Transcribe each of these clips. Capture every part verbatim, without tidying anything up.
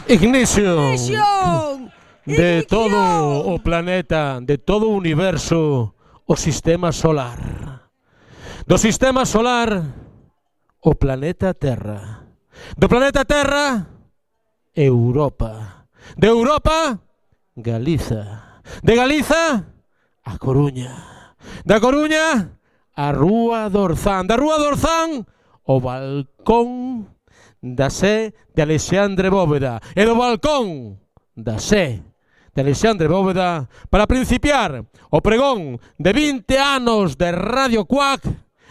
Ignition. Ignition. De todo o planeta, de todo o universo, o sistema solar. Do sistema solar, o planeta Terra. Do planeta Terra, Europa. De Europa, Galiza. De Galiza, a Coruña. Da Coruña, a Rúa do Orzán. Da Rúa do Orzán, o balcón da sé de Alexandre Bóveda. E do balcón da sé de Alexandre Bóveda para principiar o pregón de vinte anos de Radio Cuac,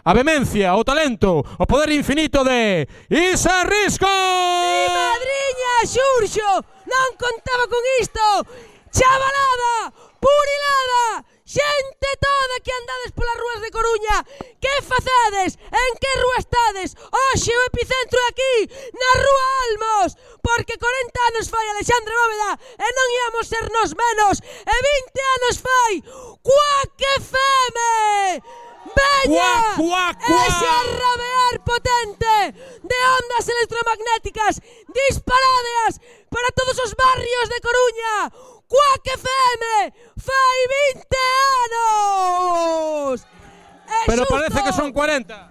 a vehemencia, o talento, o poder infinito de Isa Risco. Mi madriña, Xurxo, non contaba con isto. Chavalada, purilada, xente toda que andades polas rúas de Coruña. Que facedes? En que rúa estades? Hoxe o epicentro é aquí, na Rúa Almos, porque corenta anos fai Alexandre Bóveda e non íamos ser nos menos, e vinte anos fai Cuac F M. Veña, ese arrabear potente de ondas electromagnéticas disparadas para todos os barrios de Coruña. Cuac F M fai vinte anos. É Pero xusto. parece que son cuarenta.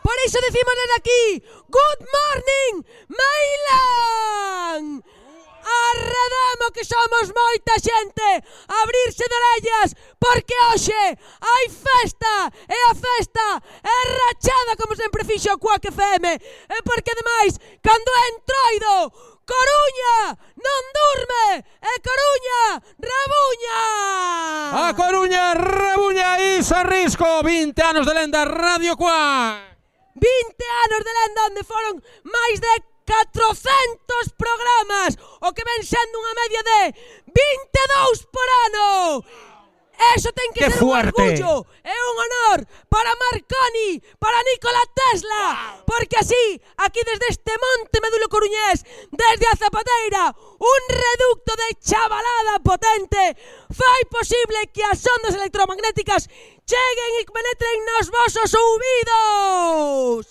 Por iso decimos desde aquí, good morning, Mailán. Arredemo que somos moita xente, abrirse de orellas, porque hoxe hai festa, e a festa é rachada como sempre fixo o Cuac F M, e porque ademais, cando é entroido, Coruña non durme, e Coruña rabuña. A Coruña rabuña. Isa Risco, vinte anos de lenda Radio Cuac. vinte anos de lenda onde foron máis de catrocentos programas, o que ven sendo unha media de vinte e dous por ano. Eso ten que ¡Qué ser fuerte! un orgullo e un honor para Marconi, para Nikola Tesla, wow. Porque así, aquí desde este monte medulo coruñés, desde a Zapateira, un reducto de chavalada potente, fai posible que as ondas electromagnéticas cheguen e penetren nos vosos ouvidos.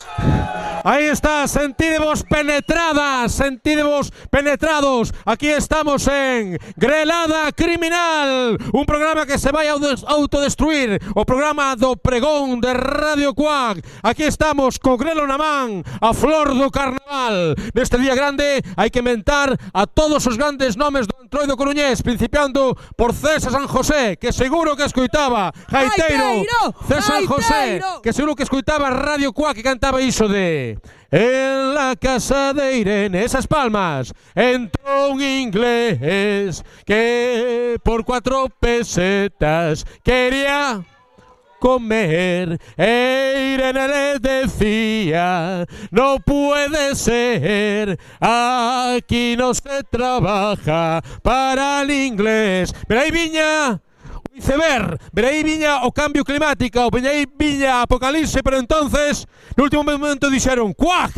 Aí está, sentidevos penetradas, sentidevos penetrados. Aquí estamos en Grelada Criminal, un programa que se vai a autodestruir, o programa do pregón de Radio Cuac. Aquí estamos co grelo na man, a flor do carnaval. Neste día grande hai que inventar a todos os grandes nomes do entroido coruñés, principiando por César San José, que seguro que escoitaba Gaiteiro, César San José, que seguro que escoitaba Radio Cuac, que cantaba iso de en la casa de Irene, esas palmas, entró un inglés que por cuatro pesetas quería comer. E Irene le decía, no puede ser, aquí no se trabaja para el inglés. Pero ahí viña o iceberg, pero ahí viña o cambio climático, pero ahí viña apocalipse, pero entonces, no último momento dixeron, ¡cuac!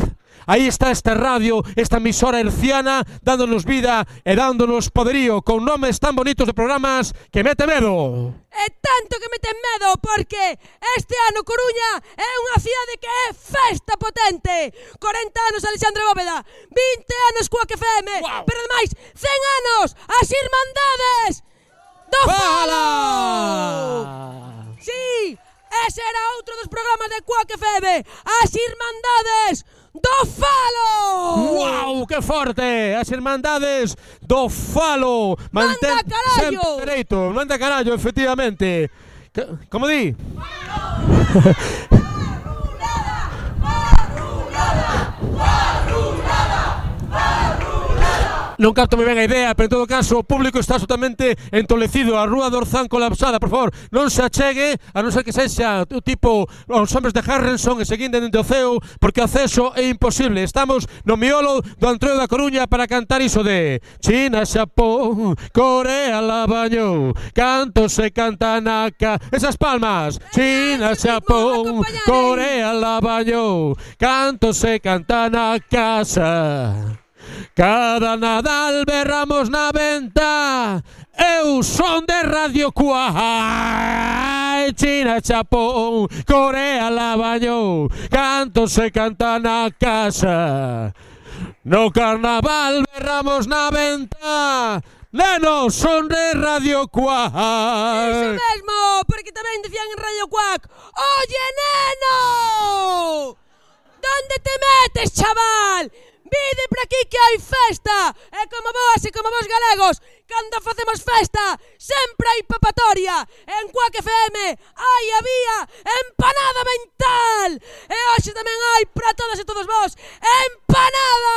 Aí está esta radio, esta emisora herciana, dándonos vida e dándonos poderío, con nomes tan bonitos de programas que mete medo. E tanto que mete medo, porque este ano Coruña é unha cidade que é festa potente. corenta anos Alexandre Bóveda, vinte anos Cuac F M, wow. Pero ademais, cen anos as Irmandades do Falo. Sí, ese era outro dos programas de Cuac F M, as Irmandades do Falo. ¡Wow! ¡Qué forte! As Irmandades do Falo. Mantén manda carallo. Sempre dereito. Manda carallo, efectivamente. Como di? Non capto moi ben a idea, pero en todo caso o público está absolutamente entolecido. A Rúa do Orzán colapsada, por favor, non se achegue, a non ser que sexa o tipo os hombres de Harrison e seguindo dende o ceo, porque o acceso é imposible. Estamos no miolo do Antroio da Coruña para cantar iso de China, Xapón, Corea la bañou, canto se canta na ca... Esas palmas. China, Xapón, Corea la bañou, canto se canta na casa. Cada Nadal berramos na venta, eu son de Radio Cuac. China, Xapón, Corea la bañou, canto se canta na casa. No carnaval berramos na venta. Neno, son de Radio Quack. Iso mesmo, porque tamén decían en Radio Quack: Oye, neno, donde te metes, chaval? Vide por aquí que hai festa. E como vos e como vos galegos, cando facemos festa, sempre hai papatoria. En Quack F M hai había empanada mental. E hoxe tamén hai para todas e todos vos empanada.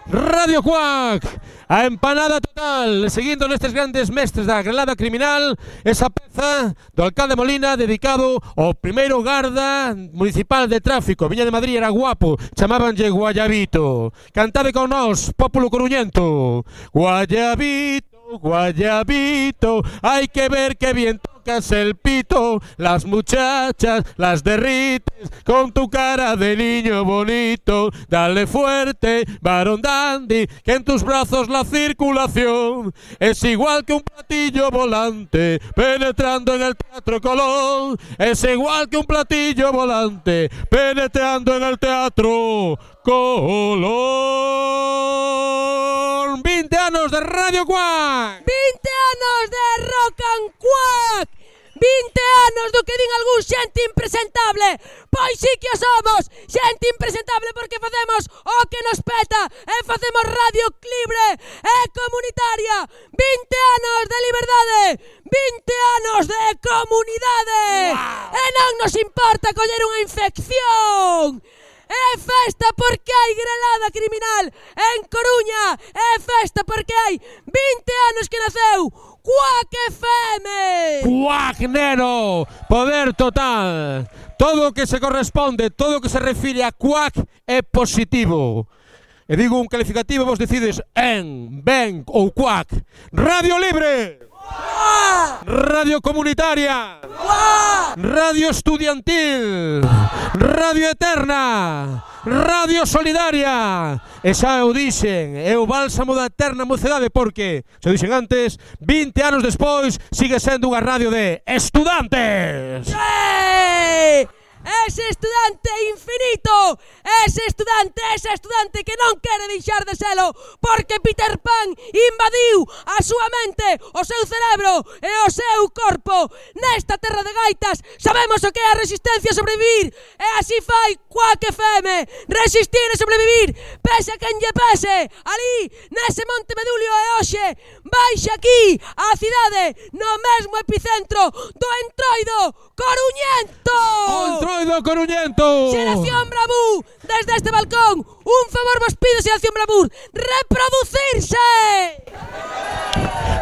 Radio Quack, a empanada total. Seguindo nestes grandes mestres da grelada criminal, esa peza do alcalde Molina dedicado ao primeiro garda municipal de tráfico. Viña de Madrid, era guapo, chamábanlle Guayabito. Cantade con nós, pópulo coruñento. Guayabito, Guayabito, hay que ver que bien tocas el pito. Las muchachas las derrites con tu cara de niño bonito. Dale fuerte, varón dandy, que en tus brazos la circulación es igual que un platillo volante penetrando en el Teatro Colón. Es igual que un platillo volante penetrando en el Teatro Colón. veinte anos de Radio Quack. veinte anos de Rock and Quack. veinte anos do que din algún xente impresentable. Pois sí que o somos, xente impresentable, porque facemos o que nos peta e facemos radio libre e comunitaria. veinte anos de liberdade, veinte anos de comunidade. Wow. E non nos importa coller unha infección. É festa porque hai grelada criminal en Coruña. É festa porque hai veinte anos que naceu Quack F M. Quack, neno, poder total. Todo o que se corresponde, todo o que se refire a Quack é positivo. E digo un calificativo, vos decides en, ben ou Quack. Radio libre. ¡Guau! Radio comunitaria. ¡Guau! Radio estudiantil. Radio eterna. Radio solidaria. E xa o dixen, é o bálsamo da eterna mocedade, porque, xa o dixen antes, veinte anos despois sigue sendo unha radio de estudantes. ¡Sí! Ese estudante infinito, ese estudante, ese estudante que non quere deixar de selo, porque Peter Pan invadiu a súa mente, o seu cerebro e o seu corpo. Nesta terra de gaitas sabemos o que é a resistencia a sobrevivir, e así fai Quack F M, resistir e sobrevivir, pese a quen lle pese, ali, nese Monte Medulio. E hoxe, baixa aquí, a cidade, no mesmo epicentro do entroido coruñento. Entroido coruñento. Xeración Bravú, desde este balcón, un favor vos pido, Xeración Bravú, reproducirse.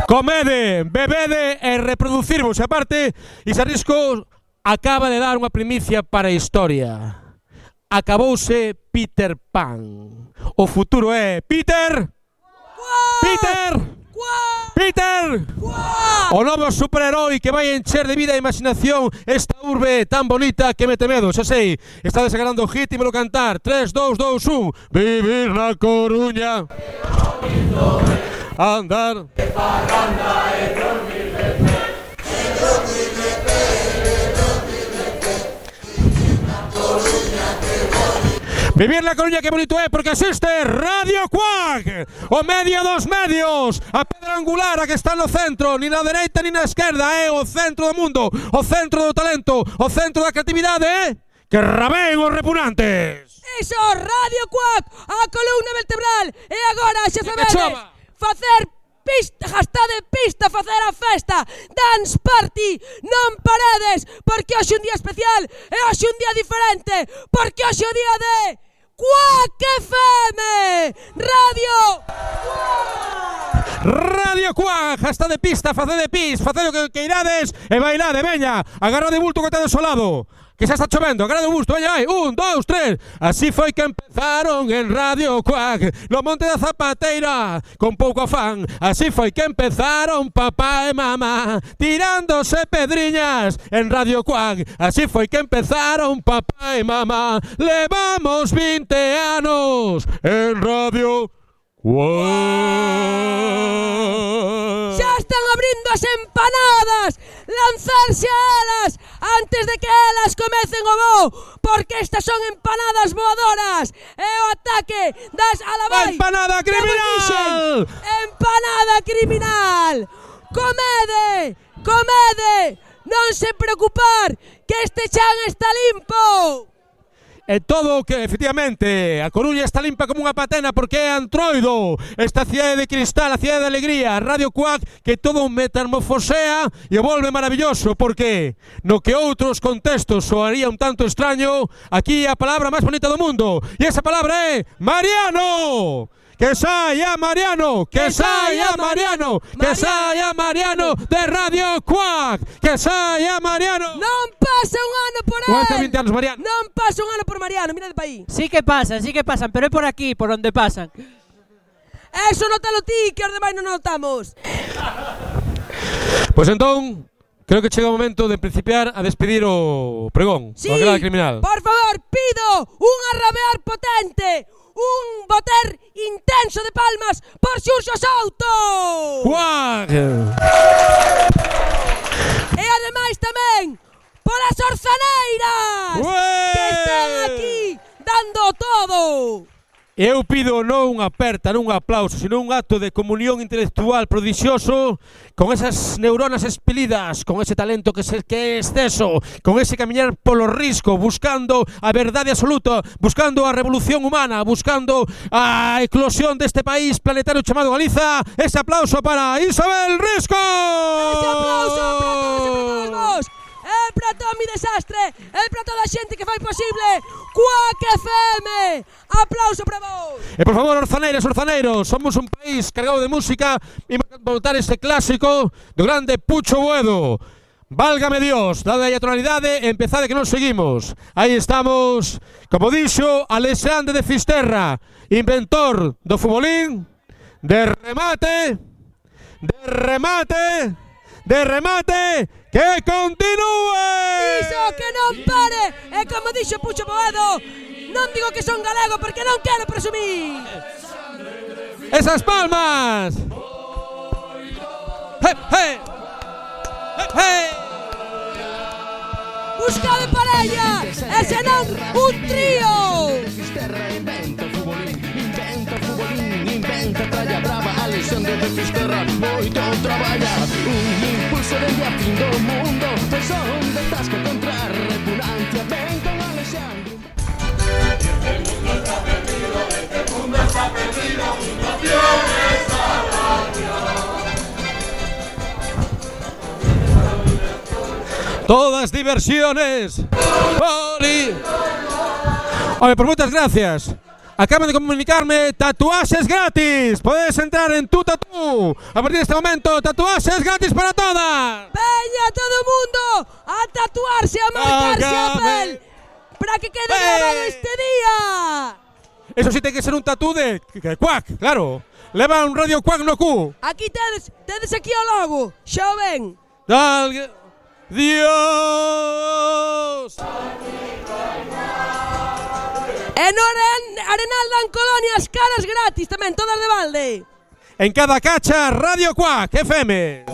Comede, bebede e reproducirvos. E aparte, Isarrisco acaba de dar unha primicia para a historia. Acabouse Peter Pan. O futuro é Peter. ¡Guau! Peter. ¡Guau! Peter. ¡Guau! O novo superheroi que vai encher de vida e imaginación esta urbe tan bonita que mete medo. Xa sei, está desagrando o hit e me lo cantar. tres, dos, dos, un. Vivir na Coruña. Andar. Vivir na Coruña, que bonito é, porque existe Radio Quack, o medio dos medios, a pedra angular, a que está no centro, ni na dereita ni na esquerda, é o centro do mundo, o centro do talento, o centro da creatividade, é que rabén os repugnantes. Iso, Radio Quack, a columna vertebral, e agora xa sabedes, facer pista, gastade pista, facer a festa, dance party, non paredes, porque hoxe un día especial, e hoxe un día diferente, porque hoxe o día de Quack F M, Radio Quack. Radio Quack, hasta de pista, facede pis, facede o que queirades e bailade, veña, agarra de bulto que tedes ao lado, que xa está chovendo, agarra de busto, veña, vai, un, dous, tres. Así foi que empezaron en Radio Quack, no Monte da Zapateira, con pouco afán. Así foi que empezaron papá e mamá, tirándose pedriñas en Radio Quack. Así foi que empezaron papá e mamá. Levamos veinte anos en Radio Quack. Xa están abrindo as empanadas lanzarse a elas antes de que elas comecen o voo, porque estas son empanadas voadoras e o ataque das alabais. Empanada criminal! Empanada criminal! Comede, comede, non se preocupar, que este chan está limpo. E todo que, efectivamente, a Coruña está limpa como unha patena porque é Antroido, esta cidade de cristal, a cidade de alegría, Radio Cuac, que todo metamorfosea e o volve maravilloso, porque no que outros contextos soaría un tanto extraño, aquí é a palabra máis bonita do mundo, e esa palabra é Mariano! Que saia Mariano, que saia Mariano, que saia Mariano de Radio Cuac, que saia Mariano. Non pasa un ano por él. Cuesta vinte anos Mariano. Non pasa un ano por Mariano, mira de país. Sí que pasan, sí que pasan, pero é por aquí, por onde pasan. Eso notalo ti, que os demais non notamos. Pois entón, creo que chega o momento de principiar a despedir o pregón, Sí, o Grada Criminal. Por favor, pido un arrabear potente, un boter intenso de palmas por Xurxo Souto. Cuac! E ademais tamén polas orzaneiras Ué! que están aquí dando todo. Eu pido non unha aperta, non un aplauso, sino un acto de comunión intelectual prodixioso con esas neuronas expelidas, con ese talento que, se, que é exceso, con ese camiñar polo risco, buscando a verdade absoluta, buscando a revolución humana, buscando a eclosión deste país planetario chamado Galiza. Ese aplauso para Isabel Risco! Ese aplauso para todos e para todos vos. É para todo mi desastre, é para toda a xente que fai posible Cuac F M. Aplauso para vos. E por favor, orzaneiras, orzaneiros, somos un país cargado de música e voltar ese clásico do grande Pucho Boedo. Válgame Dios, dada a tonalidade, empezade que non seguimos. Aí estamos, como dixo Alexandre de Fisterra, inventor do futbolín, de remate, de remate, de remate, que continúe! Iso que non pare. E como dixo Pucho Boedo, non digo que son galego porque non quero presumir. Esas palmas! Hey, hey. Hey, hey. Busca de parella, e senón un trío. Fisterra inventa o futbolín, inventa o futbolín, inventa tralla brava, Alexandre de Fisterra moito traballa, un impulso dende a fin do mundo, son de tasca contra a repugnancia, ven con Alexandre. Este mundo está perdido, este mundo está perdido, naciones a Todas diversiones. Poli. Oye, pues muchas gracias. Acaban de comunicarme tatuajes gratis. Puedes entrar en Tu Tatú. A partir de este momento, tatuajes gratis para todas. Veña todo o mundo a tatuarse, a marcarse a pel, para que quede grabado este día. Eso sí tiene que ser un tatú de, de Cuac, claro. Leva un Radio Cuac no cu. Aquí tedes, tedes aquí o logo, xa o ven. Dal... Dios. E no Arenal dan colonias caras gratis tamén, todas de balde. En cada cacha, Radio Cuac F M.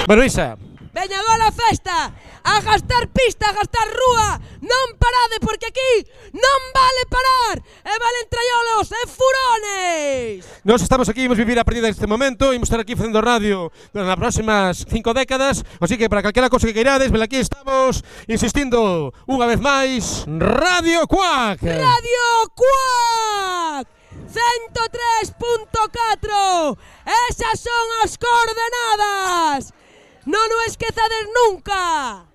Bueno, Isa. Veña agora a festa, a gastar pista, a gastar rúa. Non parade porque aquí non vale parar. E valen traiolos e furones. Nos estamos aquí, imos vivir a partir deste momento, imos estar aquí facendo radio nas próximas cinco décadas, así que para calquera cosa que queirades, vel aquí estamos insistindo unha vez máis, Radio Cuac. Radio Cuac ciento tres punto catro. Esas son as coordenadas. Non o esquezades nunca.